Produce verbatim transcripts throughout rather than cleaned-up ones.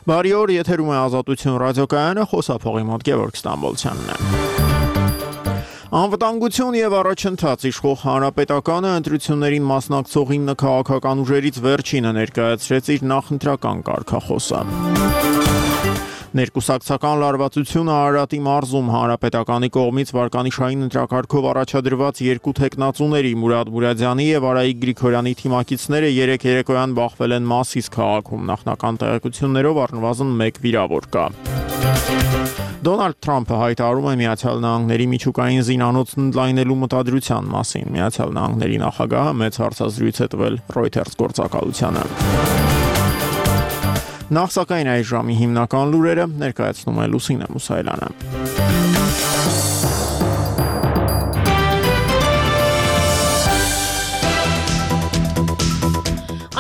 Բարի օր, եթերում է Ազատություն ռադիոկայանը, խոսափողի մոտ Գևորգ Ստամբոլցյանն է։ Անվտանգություն եւ առաջընթաց իշխող հանրապետականը ընտրություններին մասնակցող ինը քաղաքական ուժերից վերջինը ներկայացրեց իր նախընտրական կարգախոսը։ Ներկուսակցական լարվածությունը Արարատի մարզում հանրապետականի կողմից վարկանիշային ընտրակարգով առաջադրված երկու թեկնածուների Մուրադ Մուրադյանի եւ Արայիկ Գրիգորյանի թիմակիցները երեք երեկոյան բախվել են Մասիս քաղաքում, նախնական տեղեկություններով առնվազն մեկ վիրավոր կա։ Դոնալդ Թրամփը հայտարարում է Միացյալ Նահանգների միջուկային զինանոց ընդլայնելու մտադրության մասին։ Միացյալ Նահանգների նախագահը մեծ հարցազրույց է տվել Reuters գործակալությանը։ Նախ սակայն այս ժամի հիմնական լուրերը ներկայացնում է Լուսինե Մուսայելյանը։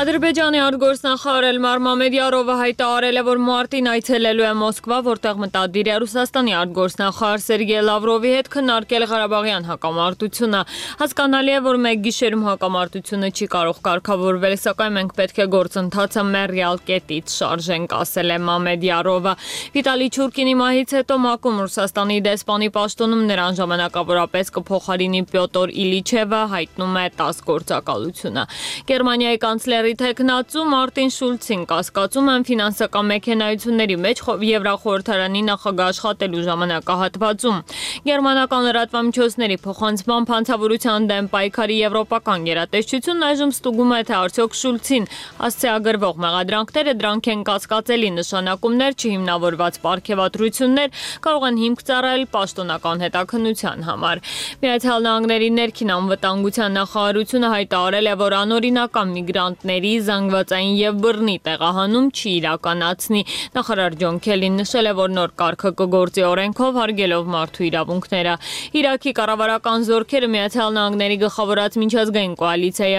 Ադրբեջանի արտգործնախարար Էլմար Մամեդյարովը հայտարարել է, որ մարտին այցելելու է Մոսկվա, որտեղ մտադիր է Ռուսաստանի արտգործնախարար Սերգեյ Լավրովի հետ քննարկել Ղարաբաղյան հակամարտությունը։ Հասկանալի է, որ մեկ գիշերում հակամարտությունը չի կարող կարգավորվել, սակայն մենք պետք է գործընթացը մեռյալ կետից շարժենք, ասել է Մամեդյարովը։ Վիտալի Չուրկինի մահից հետո ՄԱԿ-ում Ռուսաստանի դեսպանի պաշտոնում նրան ժամանակավորապես կփոխարինի Պյոտր Իլիչևը, հայտնում է ՏԱՍՍ գործակալությունը։ Գերմանիայի կանցլերի Թեկնածու Մարտին Շուլցին կասկածում են ֆինանսական մեքենայությունների մեջ Եվրախորհրդարանի նախագահ աշխատելու ժամանակահատվածում։ Գերմանական լրատվամիջոցների փոխանցման հանցավորության դեմ պայքարի եվրոպական գերատեսչությունն այժմ ստուգում է, թե արդյոք Շուլցին հասցեագրվող մեղադրանքները դրանք են կասկածելի նշանակումներ, չհիմնավորված պարգևատրություններ կարող են հիմք ծառայել պաշտոնական հետաքննության համար։ Միացյալ Նահանգների ներքին անվտանգության նախարարությունը հայտարարել է, որ անօրինական միգրանտների զանգվածային եւ բռնի տեղահանում չի իրականացնի։ Նախարար Ջոն Քելին նշել է, որ նոր կարգը կգործի օրենքով հարգելով մարդու իրավունքները։ Իրաքի կառավարական զորքերը Միացյալ Նահանգների գլխավորած միջազգային կոալիցիայի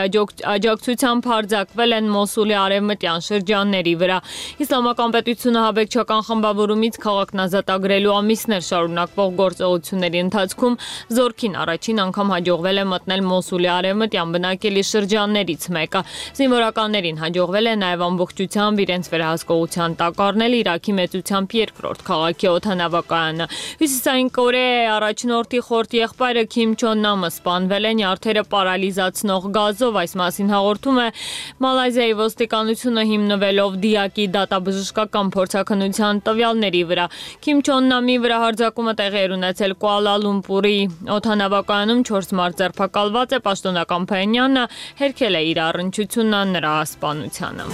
աջակցությամբ հարձակվել են Մոսուլի արևմտյան շրջանների վրա։ Իսլամական պետությունը հավեկչական խմբավորումից քաղաքն ազատագրելու ամիսներ շարունակվող գործողությունների ընթացքում զորքին առաջին անգամ հաջողվել է մտնել Մոսուլի արևմտյան բնակելի շրջաններից մեկը։ Զինվորականներին հաջողվել է նաև ամբողջությամբ իրենց վերահսկողության տակ առնել Իրաքի մեծությամբ երկրորդ քաղաքի օդանավակայանը։ Հյուսիսային Կորեայի առաջնորդի խորտ եղբայրը Քիմ Չոն Նամը սպանվել է նյարդերը պարալիզացնող գազով, այս մասին հաղորդում է Մալայզիայի ոստիկանությունը հիմնվելով դիակի դատաբժշկական փորձաքննության տվյալների վրա։ Քիմ Չոն Նամի վրա հարձակումը տեղի էր ունեցել Կուալա Լումպուրի օդանավակայանում, չորս մարդ ձերբակալված է, պաշտոնական Փայնյանը հերքել է իր առնչությունը նրա սպանությանը։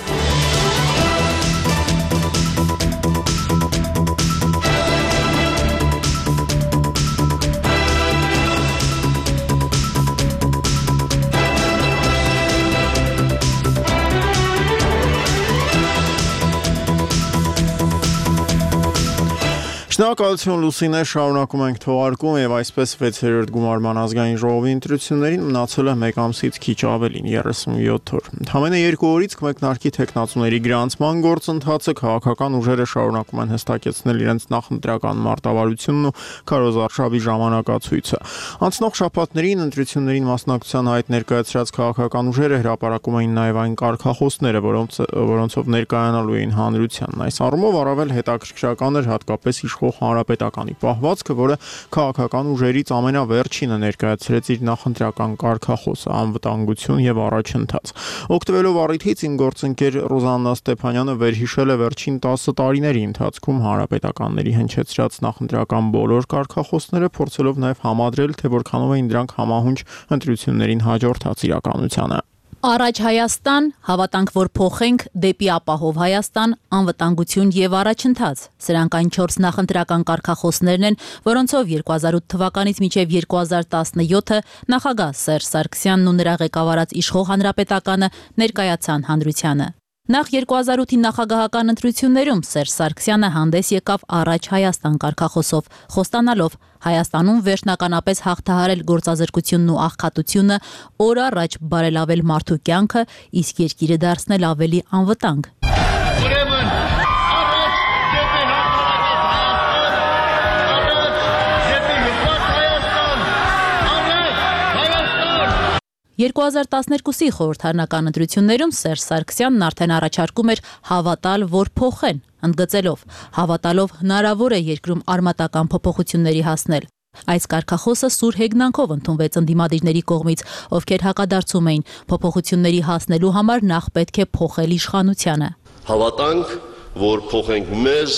Շնորհակալություն Լուսինե, շարունակում ենք թողարկում եւ այսպես վեցերորդ գումարման ազգային ժողովի ընտրություններին մնացել է մեկ ամսից քիչ ավելին երեսունյոթ օր։ Ընդամենը երկու օրից կմեկնարկի թեկնածուների գրանցման գործընթացը, քաղաքական ուժերը շարունակում են հստակեցնել իրենց նախընտրական մարտավարությունն ու քարոզարշավի ժամանակացույցը։ Անցնող շաբաթներին ընտրություններին մասնակցության հայտ ներկայացրած քաղաքական ուժերը հրապարակում էին նաեւ այն կարգախոսները, որոնց որոնցով ներկայանալու էին հանրությանն։ Այս առումով առավել հետաքրքրական էր հատկապես իշխող Հանրապետականի պահվածքը, որը քաղաքական ուժերից ամենավերջինը ներկայացրեց իր նախընտրական կարգախոսը՝ անվտանգություն եւ առաջընթաց։ Օգտվելով առիթից իմ գործընկեր Ռոզաննա Ստեփանյանը վերհիշել է վերջին տասը տարիների ընթացքում հանրապետականների հնչեցրած նախընտրական բոլոր կարգախոսները, փորձելով նաեւ համադրել, թե որքանով էին դրանք համահունչ ընտրություններին հաջորդած իրականությանը։ Առաջ Հայաստան, հավատանք, որ փոխենք դեպի ապահով Հայաստան, անվտանգություն եւ առաջընթաց։ Սրանք այն չորս նախընտրական կարգախոսներն են, որոնցով երկու հազար ութ թվականից մինչև երկու հազար տասնյոթը նախագահ Սերժ Սարգսյանն ու նրա ղեկավարած իշխող հանրապետականը ներկայացան հանրությանը։ Նախ երկու հազար ութի նախագահական ընտրություններում Սերժ Սարգսյանը հանդես եկավ Առաջ Հայաստան կարգախոսով, խոստանալով Հայաստանում վերջնականապես հաղթահարել գործազրկությունն ու աղքատությունը, օր առաջ բարելավել մարդու կյանքը, իսկ երկիրը դարձնել ավելի անվտանգ։ երկու հազար տասներկուսի խորհրդարանական ընտրություններում Սերժ Սարգսյանն արդեն առաջարկում էր հավատալ, որ փոխեն, ընդգծելով. հավատալով հնարավոր է երկրում արմատական փոփոխությունների հասնել։ Այս կարգախոսը սուր հեգնանքով ընդունվեց ընդդիմադիրների կողմից, ովքեր հակադարձում էին փոփոխությունների հասնելու համար նախ պետք է փոխել իշխանությանը։ Հավատանք, որ փոխենք մեզ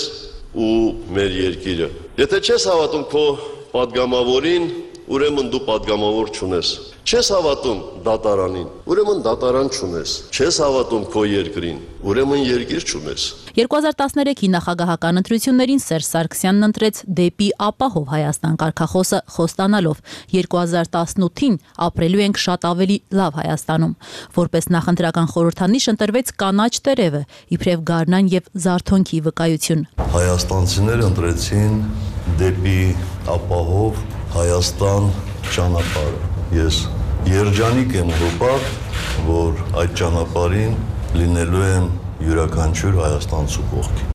ու մեր երկիրը։ Եթե չես հավատում քո պատգամավորին, ուրեմն դու պատգամավոր չունես։ Չես հավատում դատարանին, ուրեմն դատարան չունես։ Չես հավատում քո երկրին, ուրեմն երկիր չունես։ երկու հազար տասներեքի նախագահական ընտրություններին Սերժ Սարգսյանն ընտրեց դեպի ապահով Հայաստան կարգախոսը խոստանալով երկու հազար տասնութին ապրելու ենք շատ ավելի լավ Հայաստանում։ Որպես նախընտրական խորհրդանիշ ընտրվեց կանաչ տերևը, իբրև գարնան եւ զարթոնքի վկայություն։ Հայաստանցիները ընտրեցին դեպի ապահով Հայաստան ճանապարհը։ Ես երջանիկ եմ հոպատ, որ այդ ճանապարհին լինելու եմ յուրաքանչյուր հայաստանցու կողքի։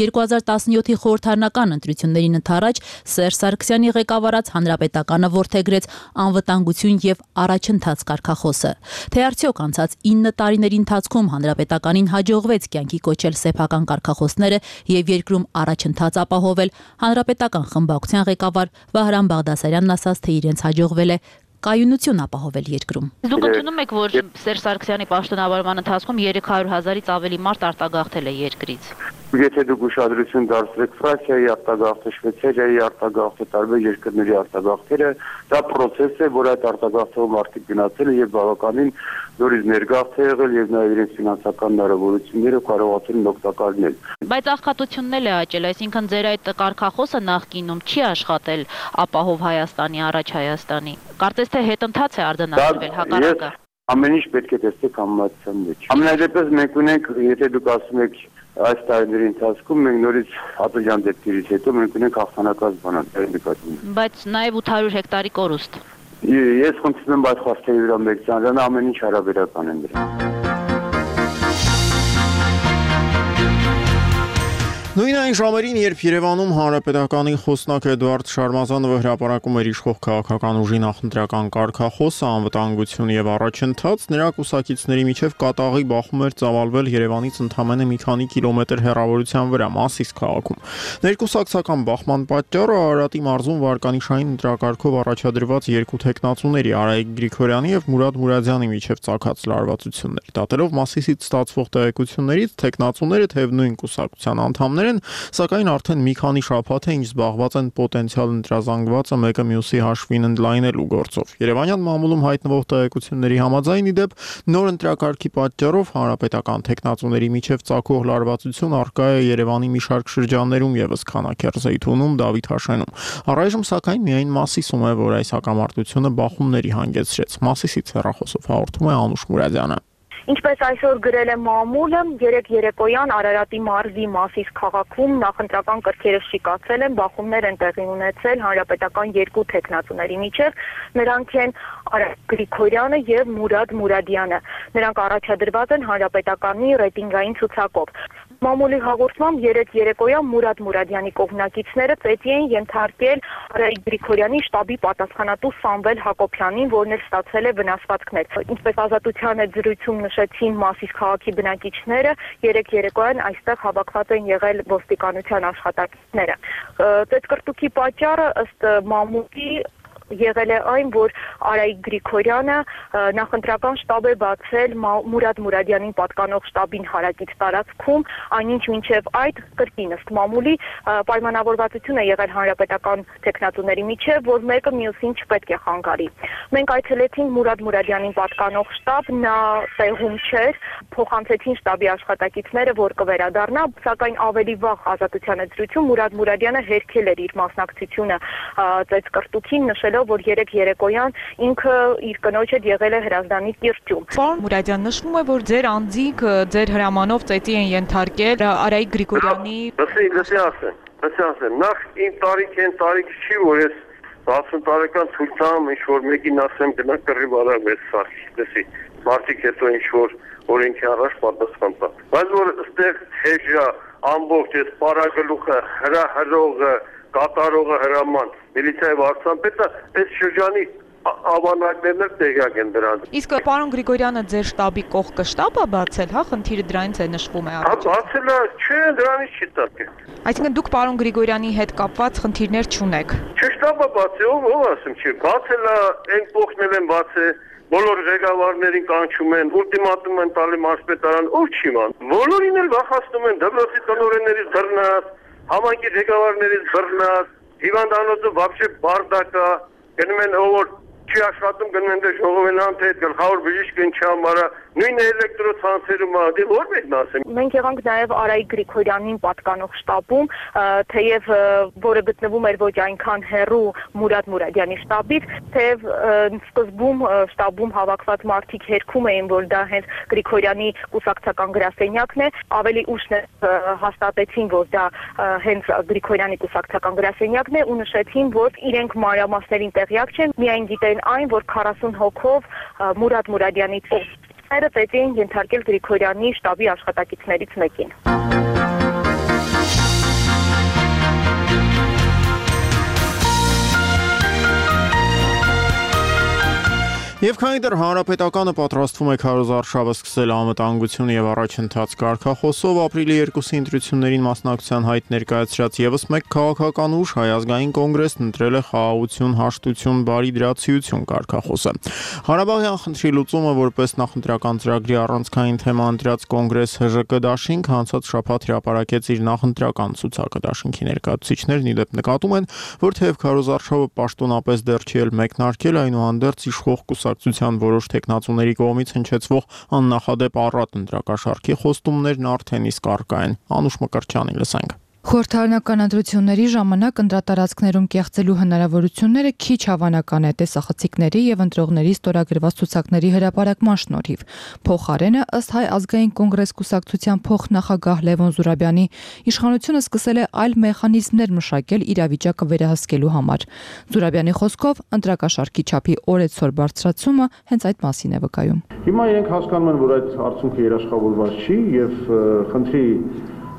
երկու հազար տասնյոթի խորհրդարանական ընտրություններին ընդառաջ Սերժ Սարգսյանի ղեկավարած Հանրապետականը որդեգրեց անվտանգություն եւ առաջընթաց կարգախոսը։ Թե արդյոք անցած ինը տարիների ընթացքում Հանրապետականին հաջողվեց կյանքի կոչել սեփական կարգախոսները եւ երկրում առաջընթաց ապահովել, Հանրապետական խմբակցության ղեկավար Վահրամ Բաղդասարյանն ասաց, թե իրենց հաջողվել է կայունություն ապահովել երկրում։ Դուք ընդունում եք, որ Սերժ Սարգսյանի պաշտոնավարման ընթացքում երեք հարյուր հազարից ավելի մարդ արտագաղթել է երկրից։ Եթե դուք ուշադրություն դարձրեք Ֆրանսիայի արտագաղթը, Շվեյցարիայի արտագաղթը, տարբեր երկրների արտագաղթերը, դա process է, որ այդ արտագաղթով մարդիկ գնացել են եւ բավականին նորից ներգաղթ է եղել եւ նաեւ իրենց ֆինանսական հնարավորությունները կարողացել են օգտակար լինել։ Բայց աղքատությունն էլ է աճել, այսինքն ձեր այդ կարգախոսը նախկինում չի աշխատել ապահով Հայաստանի, առաջ Հայաստանի։ Կարծես թե հետընթաց է արձանագրվել հակառակը։ Ամեն ինչ պետք է տեսնեք համեմատության մեջ։ Ամենադեպս մենք ունենք, եթե դուք ասում եք այս տարիների ընթացքում մենք նորից ատոջան դեպքերից հետո մենք ունենք հաղթանակած բանալի նկատի։ Բայց նաև ութ հարյուր հեկտարի կորուստ։ Ես խնդրում եմ այդ խախտերի վրա մեկ ծանրան ամեն ինչ հարաբերական են դրան։ Նույն այն ժամերին, երբ Երևանում Հանրապետականի խոսնակ Էդուարդ Շարմազանովը հրապարակում էր իշխող քաղաքական ուժի նախընտրական կարգախոսը, անվտանգություն եւ առաջընթաց, նրա կուսակիցների միջև կատաղի բախում էր ծավալվել Երևանից ընդամենը մի քանի կիլոմետր հեռավորության վրա Մասիս քաղաքում։ Ներկուսակցական բախման պատճառը Արարատի մարզում վարկանիշային ընտրակարգով առաջադրված երկու տեխնացուների Արայիկ Գրիգորյանի եւ Մուրադ Մուրադյանի միջև ցակած լարվածություններ։ Դատելով Մասիսից ստացվող տեղեկություններից, տեխնացուները թեև նույն կուսակցության անդամներ են, սակայն արդեն մի քանի շաբաթ է ինչ զբաղված են պոտենցիալ ընտրազանգվածը մեկը մյուսի հաշվին ընդլայնելու գործով։ Երևանյան մամուլում հայտնվող տեղեկությունների համաձայն ի դեպ նոր ընտրակարգի պատճառով հանրապետական տեխնացուների միջև ցակող լարվածություն առկա է Երևանի մի շարք շրջաններում եւս Քանաքեռ, Զեյթունում, Դավիթ-Հաշենում։ Առայժմ սակայն միայն Մասիսում է, որ այս հակամարտությունը բախումների հանգեցրեց։ Մասիսից հեռախոսով հաղորդում է Անուշ Մուրադյանը։ Ինչպես այսօր գրել է մամուլը, երեք երեկոյան Արարատի մարզի Մասիս քաղաքում նախընտրական կրքերը շիկացել են, բախումներ են տեղի ունեցել հանրապետական երկու տեխնացուների միջև, նրանք են Արայիկ Գրիգորյանը եւ Մուրադ Մուրադյանը։ Նրանք առաջադրված են հանրապետականի ռեյտինգային ցուցակով։ Մամուլի հաղորդմամբ երեք երեկոյան Մուրադ Մուրադյանի կողմնակիցները ծեծի են ենթարկել Արայիկ Գրիգորյանի շտաբի պատասխանատու Սամվել Հակոբյանին, որն էլ ստացել է վնասվածքներ։ Ինչպես Ազատության հետ զրույցում նշեցին Մասիս քաղաքի բնակիչները, երեք երեկոյան այստեղ հավաքված են եղել ոստիկանության աշխատակիցները։ Ծեծկռտուքի պատճառը ըստ մամուլի եղել է այն, որ Արայիկ Գրիգորյանը նախընտրական շտաբ է բացել Մուրադ Մուրադյանին պատկանող շտաբին հարակից տարածքում, այնինչ մինչև այդ կրկին ըստ մամուլի պայմանավորվածություն է եղել հանրապետական տեխնացուների միջև, որ մեկը մյուսին չպետք է խանգարի։ Մենք այցելեցինք Մուրադ Մուրադյանին պատկանող շտաբ, նա տեղում չէր, փոխանցեցին շտաբի աշխատակիցները, որ կվերադառնա, սակայն ավելի վաղ Ազատության հետ զրույցում Մուրադ Մուրադյանը հերքել էր իր մասնակցությունը ծեծկռտուքին, նշելով որ երեք երեկոյան ինքը իր կնոջ հետ եղել է Հրազդանի կիրճում։ Պարոն Մուրադյան, նշվում է, որ ձեր անձինք ձեր հրամանով ծեծի են ենթարկել Արայիկ Գրիգորյանի։ Լսի, լսի ասեմ, լսի ասեմ, նախ իմ տարիք են, տարիք չի, որ ես տասն տարեկան ցույց տամ, ինչ որ մեկին ասեմ գնա կռիվ արա մեծ սարքի, լսի, մարդիկ հետո ինչ որ օրենքի առաջ պատասխան տա։ Բայց որ այստեղ հեժա ամբողջ այս պարագլուխը, հրահրողը, կատարողը հրաման, միլիցիայի վարչապետը այս շրջանի ավանակներն էլ տեղյակ են դրան։ Իսկ պարոն Գրիգորյանը ձեր շտաբի կողքը շտաբ է բացել, հա, խնդիրը դրանից է նշվում է առաջ։ Հա, բացել է, չէ, դրանից չի տակել։ Այսինքն դուք պարոն Գրիգորյանի հետ կապված խնդիրներ չունեք։ Չէ, շտաբը բացել, ով ով ասում չի, բացել է, այն փոխնել են բացել, բոլոր ղեկավարներին կանչում են, ուլտիմատում են տալի մարզպետարան, ով չի ման։ Բոլորին էլ վախացնում են դպրոցի տնօրեններից բռնած, համայնքի ղեկավարներից բռնած, հիվանդանոցը вообще բարդակա, գնում են ով չի աշխատում գնում են դե ժողովենան թե գլխավոր բժիշկն չամարա նույն էլեկտրոցանցերում ադի որ մեկն ասեմ մենք եղանք նաև Արայիկ Գրիգորյանին պատկանող շտաբում թեև որը գտնվում էր ոչ այնքան հեռու Մուրադ Մուրադյանի շտաբից թեև սկզբում շտաբում հավաքված մարդիկ հերքում էին որ դա հենց Գրիգորյանի կուսակցական գրասենյակն է ավելի ուշ հաստատեցին որ դա հենց Գրիգորյանի կուսակցական գրասենյակն է ու նշեցին որ իրենք մանրամասներին տեղյակ չեն միայն գիտեն այն, որ քառասուն հոգով Մուրադ Մուրադյանի ծովները պետք էին ենթարկել Գրիգորյանի շտաբի աշխատակիցներից մեկին։ Եվ քանի դեռ հանրապետականը պատրաստվում է քարոզարշավը սկսել անվտանգություն եւ առաջընթաց կարգախոսով ապրիլի երկուսի ընտրություններին մասնակցության հայտ ներկայացրած եւս մեկ քաղաքական ուժ Հայ ազգային կոնգրեսն ընտրել է խաղաղություն, հաշտություն, բարի դրացիություն կարգախոսը։ Ղարաբաղյան խնդրի լուծումը որպես նախընտրական ծրագրի առանցքային թեմա ընտրած կոնգրես Հ Ժ Կ դաշինք անցած շաբաթ հրապարակեց իր նախընտրական ցուցակը դաշինքի ներկայացուցիչներն ի դեպ նկատում են, որ թեև քարոզարշավը պաշտոնապես դեռ չի էլ մեկնարկել, այնուհանդերձ իշխող կուսակցության որոշ տեխնացուների կողմից հնչեցվող աննախադեպ առատ ընտրակաշառքի խոստումներն արդեն իսկ առկա են։ Անուշ Մկրտչյանին լսենք։ Խորհրդարանական ընտրությունների ժամանակ ընտրատարածքներում կեղծելու հնարավորությունները քիչ հավանական է տեսախցիկների եւ ընտրողների ստորագրված ցուցակների հրապարակման շնորհիվ։ Փոխարենը ըստ Հայ ազգային կոնգրես կուսակցության փոխնախագահ Լևոն Զուրաբյանի իշխանությունը սկսել է այլ մեխանիզմներ մշակել իրավիճակը վերահսկելու համար։ Զուրաբյանի խոսքով ընտրակաշառքի չափի օրեցօր բարձրացումը հենց այդ մասին է վկայում։ Հիմա իրենք հասկանում են, որ այդ արդյունքը երաշխավորված չի եւ խնդրի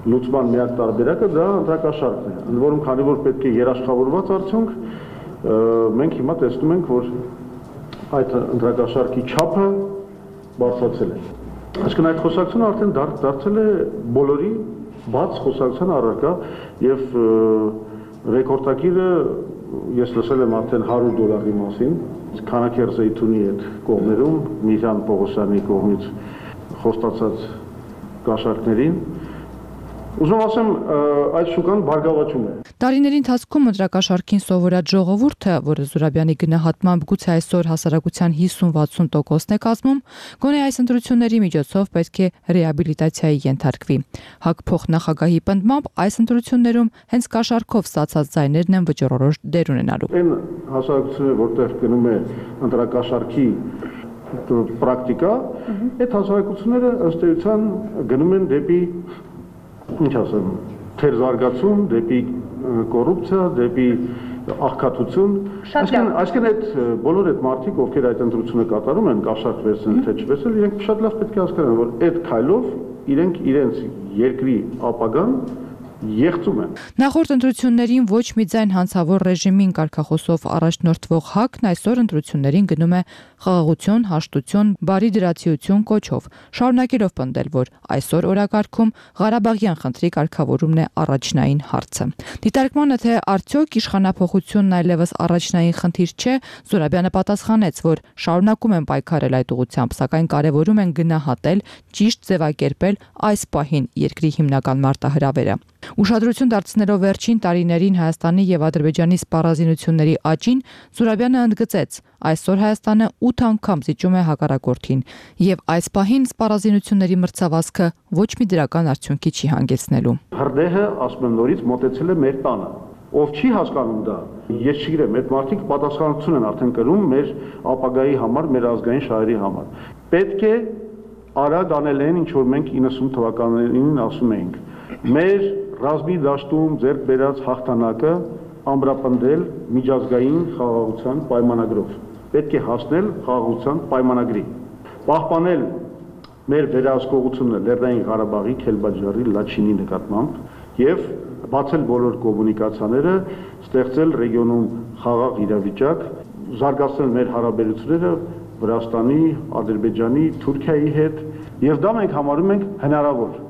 լուծման միակ տարբերակը դա ընտրակաշառքն է։ Ընդ որում, քանի որ պետք է երաշխավորված արդյունք, մենք հիմա տեսնում ենք, որ այդ ընտրակաշառքի չափը բարձրացել է։ Այսինքն այդ խոսակցությունը արդեն դարձել է բոլորի բաց խոսակցության առարկա եւ ռեկորդակիրը ես լսել եմ արդեն հարյուր դոլարի մասին, Քանաքեր Զեյթունի այդ կողմերում Միհան Պողոսյանի կողմից խոստացած կաշառքներին Ուզում ասեմ, այդ շուկան բարգավաճում է։ Տարիների ընթացքում ընտրակաշառքին սովորած ժողովուրդը, որը Զուրաբյանի գնահատմամբ գուցե այսօր հասարակության հիսուն-վաթսուն տոկոսն է կազմում, գոնե այս ընտրությունների միջոցով պետք է ռեաբիլիտացիայի ենթարկվի։ ՀԱԿ փոխնախագահի պնդմամբ այս ընտրություններում հենց կաշառքով ստացած ձայներն են վճռորոշ դեր ունենալու։ Այն հասարակությունը, որտեղ գնում է ընտրակաշառքի պրակտիկա, այդ հասարակությունները ըստ էության գնում են դեպի ինչ ասեմ, թեր զարգացում, դեպի կոռուպցիա, դեպի աղքատություն։ Այսինքն այդ բոլոր այդ մարդիկ, ովքեր այդ ընտրությունը կատարում են, կաշառք վերցնել թե չվերցնել, իրենք շատ լավ պետք է հասկանան, որ այդ քայլով իրենք իրենց երկրի ապագան եղծում են։ Նախորդ ընտրություններին ոչ մի ձայն հանցավոր ռեժիմին կարգախոսով առաջնորդվող ՀԱԿ-ն այսօր ընտրություններին գնում է խաղաղություն, հաշտություն, բարի դրացիություն կոչով, շարունակելով պնդել, որ այսօր օրակարգում Ղարաբաղյան խնդրի կարգավորումն է առաջնային հարցը։ Դիտարկմանը, թե արդյոք իշխանափոխությունն այլևս առաջնային խնդիր չէ, Զուրաբյանը պատասխանեց, որ շարունակում են պայքարել այդ ուղղությամբ, սակայն կարևորում են գնահատել, ճիշտ ձևակերպել այս պահին երկրի հիմնական մարտահրավերը։ Ուշադրություն դարձնելով վերջին տարիներին Հայաստանի եւ Ադրբեջանի սպառազինությունների աճին, Զուրաբյանը ընդգծեց. այսօր Հայաստանը ութ անգամ զիջում է հակառակորդին եւ այս պահին սպառազինությունների մրցավազքը ոչ մի դրական արդյունքի չի հանգեցնելու։ Հրդեհը ասում եմ նորից մոտեցել է մեր տանը։ Ով չի հասկանում դա, ես չգիտեմ, այդ մարդիկ պատասխանատվություն են արդեն կրում մեր ապագայի համար, մեր ազգային շահերի համար։ Պետք է արագ անել այն, ինչ որ մենք իննսուն թվականներին ասում էինք։ Մեր ռազմի դաշտում ձեռք բերած հաղթանակը ամրապնդել միջազգային խաղաղության պայմանագրով։ Պետք է հասնել խաղաղության պայմանագրի։ Պահպանել մեր վերահսկողությունը Լեռնային Ղարաբաղի, Քելբաջարի, Լաչինի նկատմամբ եւ բացել բոլոր կոմունիկացիաները, ստեղծել ռեգիոնում խաղաղ իրավիճակ, զարգացնել մեր հարաբերությունները Վրաստանի, Ադրբեջանի, Թուրքիայի հետ, եւ դա մենք համարում ենք հնարավոր։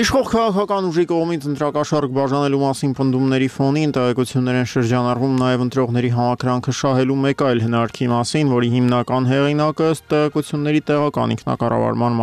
Իշխող քաղաքական ուժի կողմից ընտրակաշառք բաժանելու մասին պնդումների ֆոնին տեղեկություններ են շրջանառվում նաև ընտրողների համակրանքը շահելու մեկ այլ հնարքի մասին, որի հիմնական հեղինակը ըստ տեղեկությունների տեղական ինքնակառավարման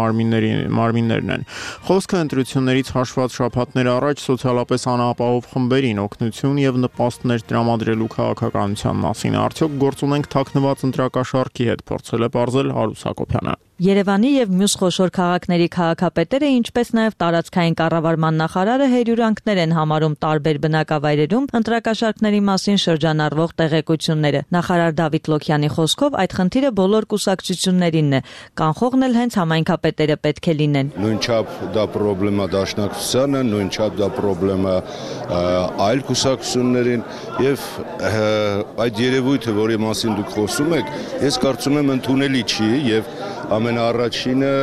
մարմիններն են։ Խոսքը ընտրություններից հաշված շաբաթներ առաջ սոցիալապես անապահով խմբերին օգնություն եւ նպաստներ տրամադրելու քաղաքականության մասին։ Արդյոք գործ ունենք թաքնված ընտրակաշառքի հետ, փորձել է պարզել Հարուս Հակոբյանը։ Երևանի եւ մյուս խոշոր քաղաքների քաղաքապետերը, ինչպես նաեւ տարածքային կառավարման նախարարը հերյուրանքներ են համարում տարբեր բնակավայրերում ընտրակաշառքների մասին շրջանառվող տեղեկությունները։ Նախարար Դավիթ Լոքյանի խոսքով այդ խնդիրը բոլոր կուսակցություններինն է, կանխողն էլ հենց համայնքապետերը պետք է լինեն։ Նույնչափ դա խնդրեմա դաշնակցությանը, նույնչափ դա խնդրեմա այլ կուսակցություններին եւ այդ երևույթը, որի մասին դուք խոսում եք, ես կարծում եմ ընդունելի չի եւ ամենաառաջինը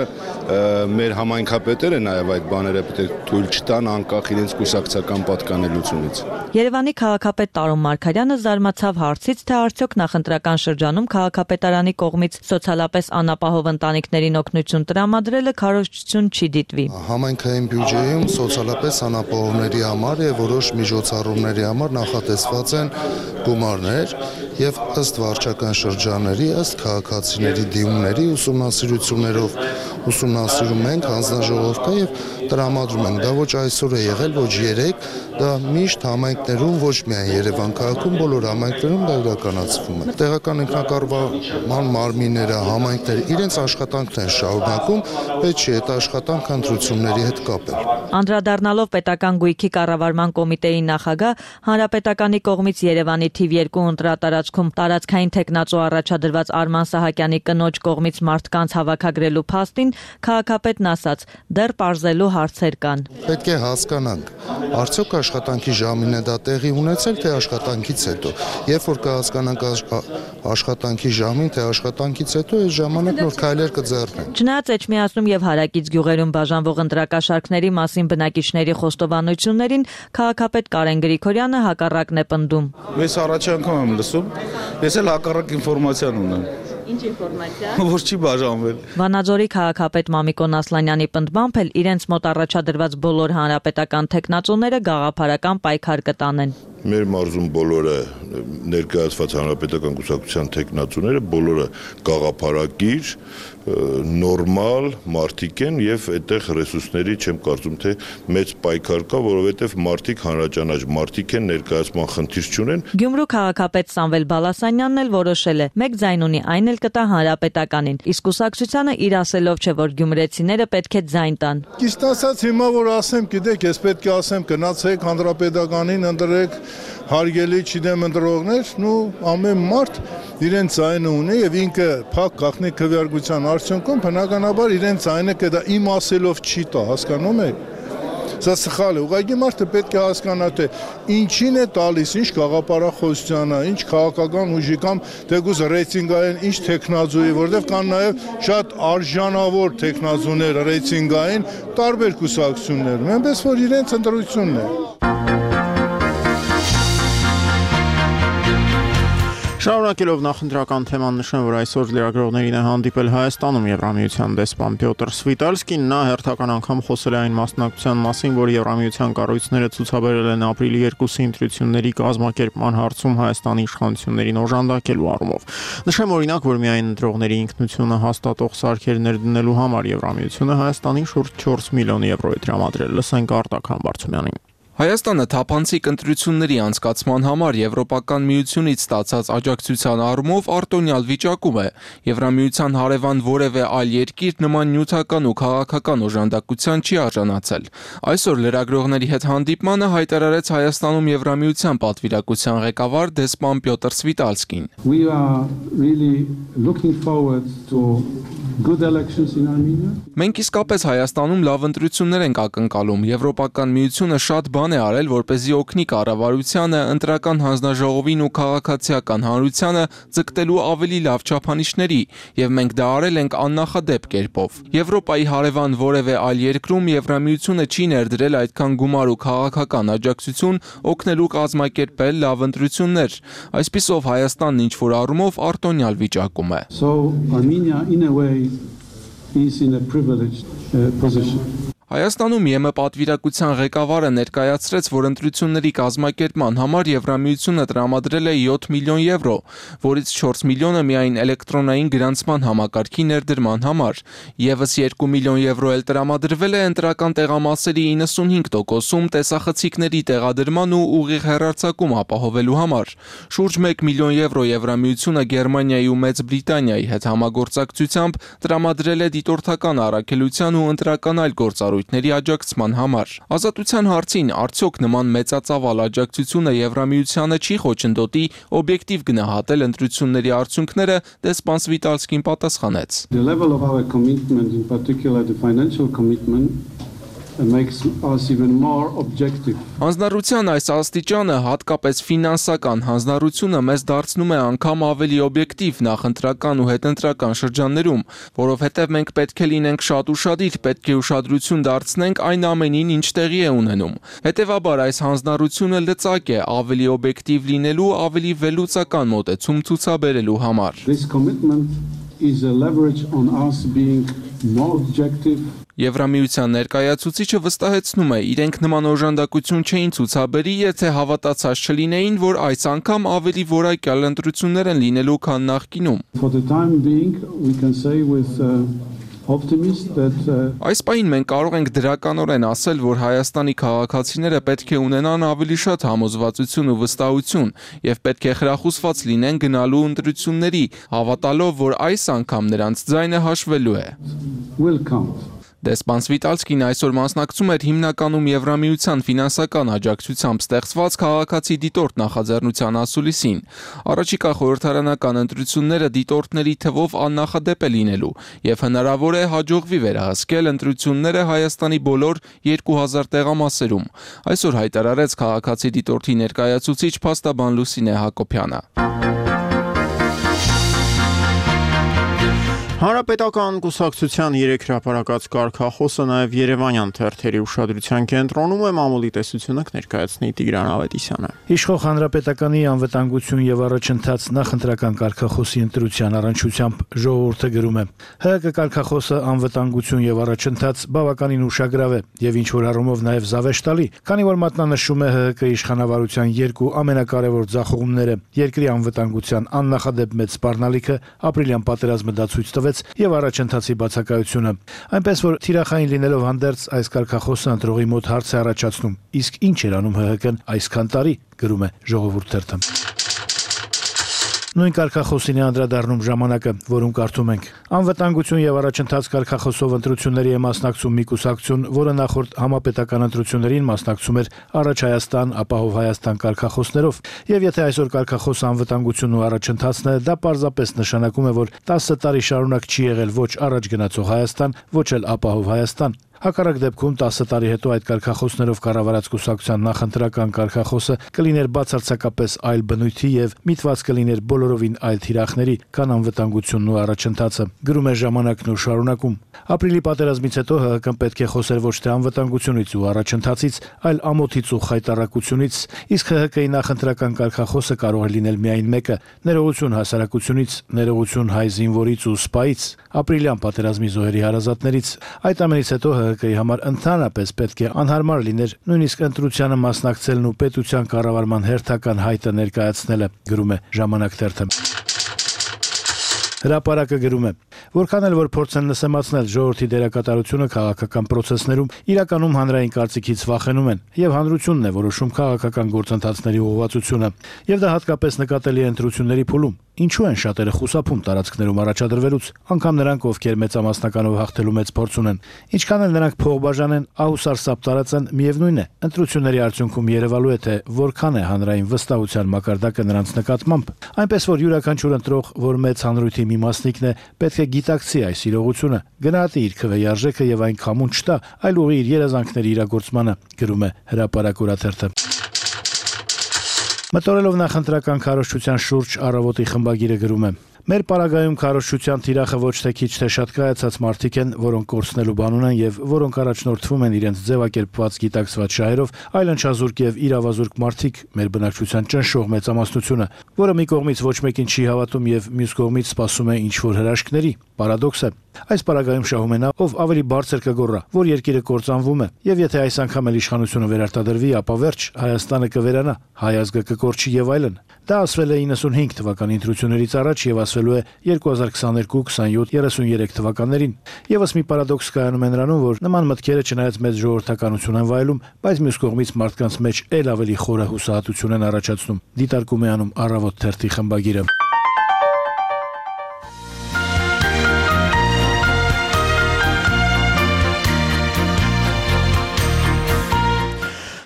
մեր համայնքապետերը նաև այդ բաները պետք է թույլ չտան անկախ իրենց կուսակցական պատկանելությունից։ Երևանի քաղաքապետ Տարոն Մարգարյանը զարմացավ հարցից, թե արդյոք նախընտրական շրջանում քաղաքապետարանի կողմից սոցիալապես անապահով ընտանիքներին օգնություն տրամադրելը քարոզչություն չի դիտվի։ Համայնքային բյուջեում սոցիալապես անապահովների համար եւ որոշ միջոցառումների համար նախատեսված են գումարներ եւ ըստ վարչական շրջանների, ըստ քաղաքացիների դիմումների ուսումնասիրություններով ուսումնասիրում ենք, հանձնաժողով կա եւ տրամադրում ենք։ Դա ոչ այսօր է եղել, ոչ երեք, դա միշտ համայնքներում, ոչ միայն Երևան քաղաքում, բոլոր համայնքներում դա իրականացվում է։ Տեղական ինքնակառավարման մարմինները, համայնքները իրենց աշխատանքն են շարունակում, պետք չէ այդ աշխատանքը ընտրությունների հետ կապել։ Անդրադառնալով պետական գույքի կառավարման կոմիտեի նախագահ, հանրապետականի կողմից Երևանի թիվ երկու ընտրատարածքում տարածքային թեկնածու առաջադրված Արման Սահակյանի կնոջ կողմից մարդկանց հավաքագրելու փաստին քաղաքապետն ասաց. դեռ պարզելու հարցեր կան։ Պետք է հասկանանք, արդյոք աշխատանքի ժամին է դա տեղի ունեցել, թե աշխատանքից հետո։ Երբ որ կհասկանանք աշխատանքի ժամին, թե աշխատանքից հետո, այս ժամանակ նոր քայլեր կձեռնենք։ Չնայած Էջմիածնում եւ հարակից գյուղերում բաժանվող ընտրակաշառքների մասին բնակիչների խոստովանություններին քաղաքապետ Կարեն Գրիգորյանը հակառակն է պնդում։ Ես առաջ անգամ եմ լսում, ես էլ հակառակ ինֆորմացիան ունեմ։ Ինչ ինֆորմացիա։ Որ չի բաժանվել։ Վանաձորի քաղաքապետ Մամիկոն Ասլանյանի պնդմամբ էլ իրենց մոտ առաջադրված բոլոր հանրապետական թեկնածուները գաղափարական պայքար կտանեն։ Մեր մարզում բոլորը ներկայացված հանրապետական կուսակցության թեկնածուները բոլորը գաղափարակիր, նորմալ մարդիկ են եւ այդտեղ ռեսուրսների չեմ կարծում թե մեծ պայքար կա, որովհետեւ մարդիկ հանրաճանաչ մարդիկ են, ներկայացման խնդիր չունեն։ Գյումրու քաղաքապետ Սամվել Բալասանյանն էլ որոշել է մեկ ձայն ունի, այն էլ կտա հանրապետականին, իսկ կուսակցությանը իր ասելով չէ, որ գյումրեցիները պետք է ձայն տան։ Ճիշտ ասած հիմա որ ասեմ, գիտեք, ես պետք է ասեմ գնացեք հանրապետականին ընտրեք հարգելի չդեմ ընտրողներ, նու ամեն մարդ իրեն ձայնը ունի եւ ինքը փակ գաղտնի քվեարկության արդյունքում բնականաբար իրեն ձայնը կդա իմ ասելով չի տա, հասկանում եք։ Սա սխալ է, ուղղակի մարդը պետք է հասկանա թե ինչին է տալիս, ինչ գաղափարախոսությանը, ինչ քաղաքական ուժի կամ թեկուզ ռեյտինգային, ինչ տեխնազուի, որտեղ կան նաև շատ արժանավոր տեխնազուներ ռեյտինգային տարբեր կուսակցություններում, այնպես որ իրենց ընտրությունն է։ Շարունակելով նախընտրական թեման նշեմ, որ այսօր լրագրողներին է հանդիպել Հայաստանում Եվրամիության դեսպան Պյոտր Սվիտալսկին, նա հերթական անգամ խոսել է այն մասնակցության մասին, որ Եվրամիության կառույցները ցուցաբերել են ապրիլի երկուսի ընտրությունների կազմակերպման հարցում Հայաստանի իշխանություններին օժանդակելու առումով։ Նշեմ օրինակ, որ միայն ընտրողների ինքնությունը հաստատող սարքեր ներդնելու համար Եվրամիությունը Հայաստանին շուրջ չորս միլիոն եվրո է տրամադրել։ Լսենք Արտակ Համբարձումյանին։ Հայաստանը թափանցիկ ընտրությունների անցկացման համար Եվրոպական միությունից ստացած աջակցության առումով արտոնյալ վիճակում է։ Եվրամիության հարևան որևէ այլ երկիր նման նյութական ու քաղաքական օժանդակության չի արժանացել։ Այսօր լրագրողների հետ հանդիպմանը հայտարարեց Հայաստանում Եվրամիության պատվիրակության ղեկավար դեսպան Պյոտր Սվիտալսկին։ We are really looking forward to good elections in Armenia. Մենք իսկապես Հայաստանում լավ ընտրություններ ենք ակնկալում։ Եվրոպական միությունը շատ բան բան է արել, որպեսզի օգնի կառավարությանը, ընտրական հանձնաժողովին ու քաղաքացիական հանրությանը ձգտելու ավելի լավ չափանիշների, եւ մենք դա արել ենք աննախադեպ կերպով։ Եվրոպայի հարևան որևէ այլ երկրում Եվրամիությունը չի ներդրել այդքան գումար ու քաղաքական աջակցություն օգնելու կազմակերպել լավ ընտրություններ։ Այսպիսով Հայաստանն ինչ-որ առումով արտոնյալ վիճակում է։ So Armenia in a way is in a privileged uh, position. Հայաստանում ԵՄ պատվիրակության ղեկավարը ներկայացրեց, որ ընտրությունների կազմակերպման համար Եվրամիությունը տրամադրել է յոթ միլիոն եվրո, որից չորս միլիոնը միայն էլեկտրոնային գրանցման համակարգի ներդրման համար։ Եվս երկու միլիոն եվրո էլ տրամադրվել է ընտրական տեղամասերի իննսունհինգ տոկոսում տեսախցիկների տեղադրման ու ուղիղ հեռարձակում ապահովելու համար։ Շուրջ մեկ միլիոն եվրո Եվրամիությունը Գերմանիայի ու Մեծ Բրիտանիայի հետ համագործակցությամբ տրամադրել է դիտորդական առաքելության ու ընտրական այլ գործառույթների աջակցման համար։ Ազատության հարցին արդյոք նման մեծածավալ աջակցությունը Եվրամիությանը չի խոչընդոտի օբյեկտիվ գնահատել ընտրությունների արդյունքները, դեսպան Սվիտալսկին պատասխանեց. The level of our commitment, in particular the financial commitment, makes us even more objective. Հանձնառության այս աստիճանը, հատկապես ֆինանսական հանձնառությունը մեզ դարձնում է անգամ ավելի օբյեկտիվ նախընտրական ու հետընտրական շրջաններում, որովհետև մենք պետք է լինենք շատ ուշադիր, պետք է ուշադրություն դարձնենք այն ամենին, ինչ տեղի է ունենում։ Հետևաբար այս հանձնառությունը լծակ է ավելի օբյեկտիվ լինելու, ավելի վերլուծական մոտեցում ցուցաբերելու համար։ This commitment is a leverage on us being more objective. Եվրամիության ներկայացուցիչը վստահեցնում է, իրենք նման օժանդակություն չէին ցուցաբերի, եթե հավատացած չլինեին, որ այս անգամ ավելի որակյալ ընտրություններ են լինելու, քան նախկինում։ For the time being, we can say with uh, optimism that uh, Այս պահին մենք կարող ենք դրականորեն ասել, որ Հայաստանի քաղաքացիները պետք է ունենան ավելի շատ համոզվածություն ու վստահություն եւ պետք է խրախուսված լինեն գնալու ընտրությունների, հավատալով, որ այս անգամ նրանց ձայնը հաշվելու է։ will count. Դեսպան Սվիտալսկին այսօր մասնակցում էր հիմնականում Եվրամիության ֆինանսական աջակցությամբ ստեղծված քաղաքացի դիտորդ նախաձեռնության ասուլիսին։ Առաջիկա խորհրդարանական ընտրությունները դիտորդների թվով աննախադեպ է լինելու եւ հնարավոր է հաջողվի վերահսկել ընտրությունները Հայաստանի բոլոր երկու հազար տեղամասերում։ Այսօր հայտարարեց քաղաքացի դիտորդի ներկայացուցիչ փաստաբան Լուսինե Հակոբյանը։ Հանրապետական կուսակցության երեք հրապարակած կարգախոսը նաև Երևանյան թերթերի ուշադրության կենտրոնում է, մամուլի տեսությունը կներկայացնի Տիգրան Ավետիսյանը։ Իշխող Հանրապետականի անվտանգություն եւ առաջընթաց նախընտրական կարգախոսի ընտրության առնչությամբ ժողովուրդը գրում է. ՀՀԿ կարգախոսը անվտանգություն եւ առաջընթաց բավականին ուշագրավ է եւ ինչ որ առումով նաև զավեշտալի, քանի որ մատնանշում է ՀՀԿ իշխանավարության երկու ամենակարևոր ձախողումները՝ երկրի անվտանգության աննախադեպ մեծ սպառնալիքը, ապրիլյան պատերազմը դա ցույց տվեց եւ առաջընթացի բացակայությունը։ Այնպես որ թիրախային լինելով հանդերձ այս կարգախոսը ընտրողի մոտ հարց է առաջացնում. իսկ ինչ էր անում ՀՀԿ-ն այսքան տարի, գրում է Ժողովուրդ թերթը։ Նույն կարգախոսին է անդրադառնում Ժամանակը, որում կարդում ենք. Անվտանգություն եւ առաջընթաց կարգախոսով ընտրությունների է մասնակցում մի կուսակցություն, որը նախորդ համապետական ընտրություններին մասնակցում էր Առաջ Հայաստան, Ապահով Հայաստան կարգախոսներով, եւ եթե այսօր կարգախոսը անվտանգությունն ու առաջընթացն է, դա պարզապես նշանակում է, որ տասը տարի շարունակ չի եղել ոչ առաջ գնացող Հայաստան, ոչ էլ Ապահով Հայաստան։ Հակառակ դեպքում տասը տարի հետո այդ կարգախոսներով կառավարած կուսակցության նախընտրական կարգախոսը կլիներ բացարձակապես այլ բնույթի եւ միտված կլիներ բոլորովին այլ թիրախների, քան անվտանգությունն ու առաջընթացը, գրում է Ժամանակն ու շարունակում։ Ապրիլի պատերազմից հետո ՀՀԿ-ն պետք է խոսեր ոչ թե անվտանգությունից ու առաջընթացից, այլ ամոթից ու խայտառակությունից, իսկ ՀՀԿ-ի նախընտրական կարգախոսը կարող է լինել միայն մեկը՝ ներողություն հասարակությունից, ներողություն հայ զինվորից ու սպայից, ապրիլյան պատերազմի զոհերի հարազատներից։ Այդ ամենից հետո ՀՀԿ-ի համար ընդհանրապես պետք է անհարմար լիներ նույնիսկ ընտրությանը մասնակցելն ու պետության կառավարման հերթական հայտը ներկայացնելը, գրում է Ժամանակ թերթը։ Հրապարակը գրում է. որքան էլ որ փորձեն նսեմացնել ժողովրդի դերակատարությունը քաղաքական process-ներում, իրականում հանրային կարծիքից վախենում են, եւ հանրությունն է որոշում քաղաքական գործընթացների ուղղվածությունը, եւ դա հատկապես նկատելի է ընտրությունների փուլում։ ինչու են շատերը խուսափում տարածքներում առաջադրվելուց, անգամ նրանք, ովքեր մեծամասնականով հաղթելու մեծ փորձ ունեն։ Ինչքան էլ նրանք փող բաժանեն, ահուսարսափ տարածեն, միևնույն է, ընտրությունների արդյունքում երևալու է, թե որքան է հանրային վստահության մակարդակը նրանց նկատմամբ։ Այնպես որ յուրաքանչյուր ընտրող, որ մեծ հանրույթի մի մասնիկն է, պետք է գիտակցի այս իրողությունը, գնահատի իր քվեի արժեքը եւ այն քամուն չտա, այլ ուղղի իր երազանքների իրագործմանը, գրում է Հրապարակ օրաթերթը։ Մտորելով նախընտրական քարոզչության շուրջ առավոտի խմբագիրը գրում է. Մեր պարագայում քարոզչության թիրախը ոչ թե քիչ թե շատ կայացած մարդիկ են, որոնք կորցնելու բան ունեն եւ որոնք առաջնորդվում են իրենց ձևակերպված գիտակցված շահերով, այլ ընչազուրկ եւ իրավազուրկ մարդիկ, մեր բնակչության ճնշող մեծամասնությունը, որը մի կողմից ոչ մեկին չի հավատում եւ մյուս կողմից սպասում է ինչ-որ հրաշքների։ Պարադոքս է։ Այս պարագայում շահում է նա, ով ավելի բարձր կգոռա, որ երկիրը կործանվում է, եւ եթե այս անգամ էլ իշխանությունը վերարտադրվի, ապա վերջ Հայաստանը կվերանա, հայ ազգը կկորչի եւ այլն։ Դա ասվել է իննսունհինգ թվականի ընտրություններից առաջ եւ ասվելու է երկու հազար քսաներկու, քսանյոթ, երեսունյերեք թվականներին։ Եվս մի պարադոքս կայանում է նրանում, որ նման մտքերը չնայած մեծ ժողովրդականություն են վայելում, բայց մյուս կողմից մարդկանց մեջ ել ավելի խորը հուսահատություն են առաջացնում։ Դիտարկում է անում Առավոտ թերթի խմբագիրը։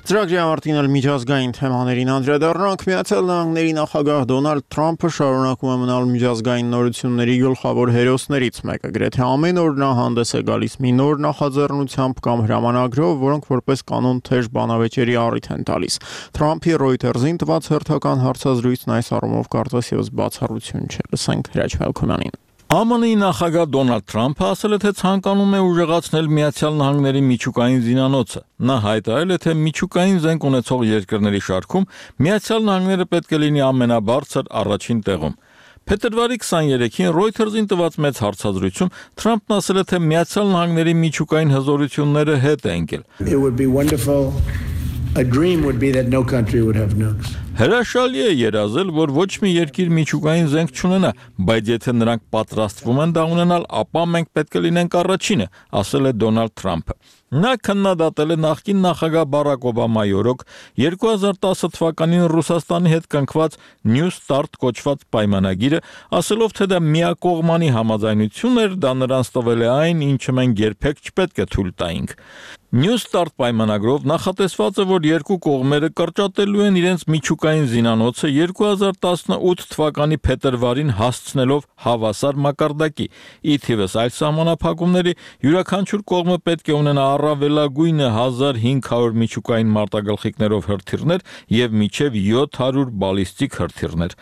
Ծրագրի ավարտին էլ միջազգային թեմաներին անդրադառնանք։ Միացյալ Նահանգների նախագահ Դոնալդ Թրամփը շարունակում է մնալ միջազգային նորությունների գլխավոր հերոսներից մեկը։ Գրեթե ամեն օր նա հանդես է գալիս մի նոր նախաձեռնությամբ կամ հրամանագրով, որոնք որպես կանոն թեժ բանավեճերի առիթ են տալիս։ Թրամփի Reuters-ին տված հերթական հարցազրույցն այս առումով կարծես եւս բացառություն չէ։ Լսենք Հրաչ Մելքոնյանին։ Է Մ Ն-ի նախագահ Դոնալդ Թրամփը ասել է, թե ցանկանում է ուժեղացնել Միացյալ Նահանգների միջուկային զինանոցը։ Նա հայտարարել է, թե միջուկային զենք ունեցող երկրների շարքում Միացյալ Նահանգները պետք է լինի ամենաբարձր առաջին տեղում։ Փետրվարի քսաներեքին Reuters-ին տված մեծ հարցազրույցում Թրամփն ասել է, թե Միացյալ Նահանգների միջուկային հզորությունները հետ է ընկել։ A dream would be that no country would have nukes. Հրաշալի է երազել, որ ոչ մի երկիր միջուկային զենք չունենա, բայց եթե նրանք պատրաստվում են դա ունենալ, ապա մենք պետք է լինենք առաջինը, ասել է Դոնալդ Թրամփը։ Նա քննադատել է նախկին նախագահ Բարակ Օբամայի օրոք երկու հազար տասը թվականին Ռուսաստանի հետ կնքված New Start կոչված պայմանագիրը, ասելով, թե դա միակողմանի համաձայնություն էր, դա նրանց տվել է այն, ինչը մենք երբեք չպետք է թույլ տայինք։ New Start պայմանագրով նախատեսված է, որ երկու կողմերը կրճատելու են իրենց միջուկային զինանոցը երկու հազար տասնութ թվականի փետրվարին հասցնելով հավասար մակարդակի։ Ի թիվս այլ սահմանափակումների յուրաքանչյուր կողմը պետք է ունենա առավելագույնը հազար հինգ հարյուր միջուկային մարտագլխիկներով հրթիռներ եւ մինչեւ յոթ հարյուր բալիստիկ հրթիռներ։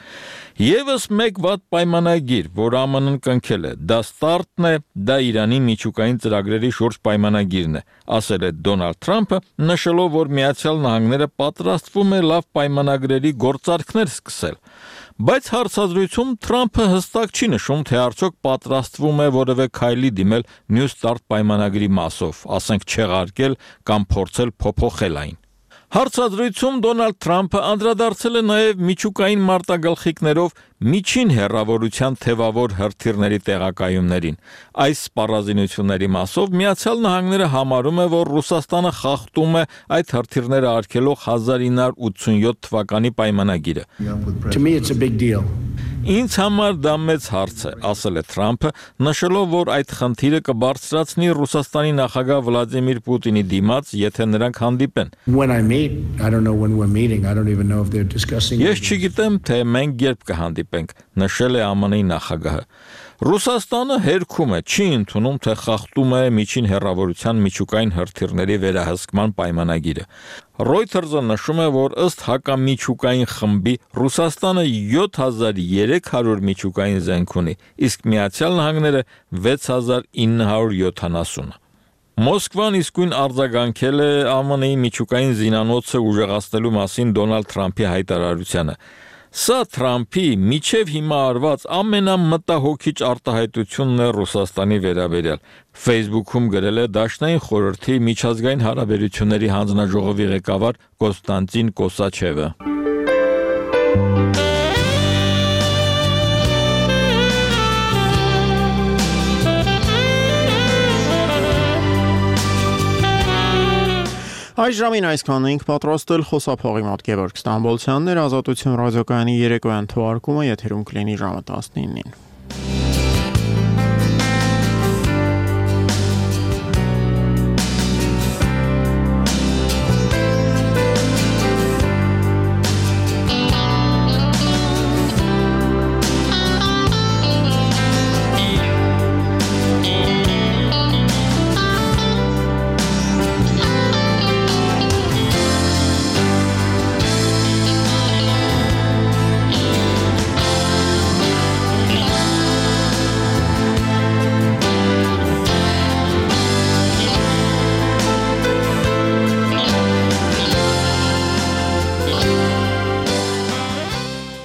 Եվս մեկ վատ պայմանագիր, որ Ա Մ Ն-ն կնքել է, դա ստարտն է, դա Իրանի միջուկային ծրագրերի շուրջ պայմանագիրն է, ասել է Դոնալդ Թրամփը, նշելով, որ Միացյալ Նահանգները պատրաստվում է լավ պայմանագրերի գործարքներ սկսել։ Բայց հարցազրույցում Թրամփը հստակ չի նշում, թե արդյոք պատրաստվում է որևէ քայլի դիմել New Start պայմանագրի մասով, ասենք չեղարկել կամ փորձել փոփոխել այն։ Հարցազրույցում Դոնալդ Թրամփը անդրադարձել է նաև միջուկային մարտագլխիկներով միջին հեռավորության թևավոր հրթիռների տեղակայումներին։ Այս սպառազինությունների մասով Միացյալ Նահանգները համարում է, որ Ռուսաստանը խախտում է այդ հրթիռները արգելող հազար ինը հարյուր ութսունյոթ թվականի պայմանագիրը։ To me it's a big deal. Ինձ համար դա մեծ հարց է, ասել է Թրամփը, նշելով, որ այդ խնդիրը կբարձրացնի Ռուսաստանի նախագահ Վլադիմիր Պուտինի դիմաց, եթե նրանք հանդիպեն։ When I meet, I don't know when we're meeting. I don't even know if they're discussing. Ես չգիտեմ, թե մենք երբ կհանդիպենք, նշել է Ա Մ Ն-ի նախագահը։ Ռուսաստանը հերքում է, չի ընդունում, թե խախտում է միջին հեռավորության միջուկային հրթիռների վերահսկման պայմանագիրը։ Reuters-ը նշում է, որ ըստ հակամիջուկային խմբի Ռուսաստանը յոթ հազար երեք հարյուր միջուկային զենք ունի, իսկ Միացյալ Նահանգները վեց հազար ինը հարյուր յոթանասուն։ Մոսկվան իսկույն արձագանքել է Ա Մ Ն-ի միջուկային զինանոցը ուժեղացնելու մասին Դոնալդ Թրամփի հայտարարությանը։ Սա Թրամփի միջև հիմա արված ամենամտահոգիչ արտահայտությունն է Ռուսաստանի վերաբերյալ։ Facebook-ում գրել է Դաշնային խորհրդի միջազգային հարաբերությունների հանձնաժողովի ղեկավար Կոստանտին Կոսաչևը։ Այս ժամին այսքանն ենք պատրաստել խոսափողի մոտ Գևորգ Ստամբոլցյանն էր, Ազատություն ռադիոկայանի երեկոյան թողարկումը եթերում կլինի ժամը տասնինին։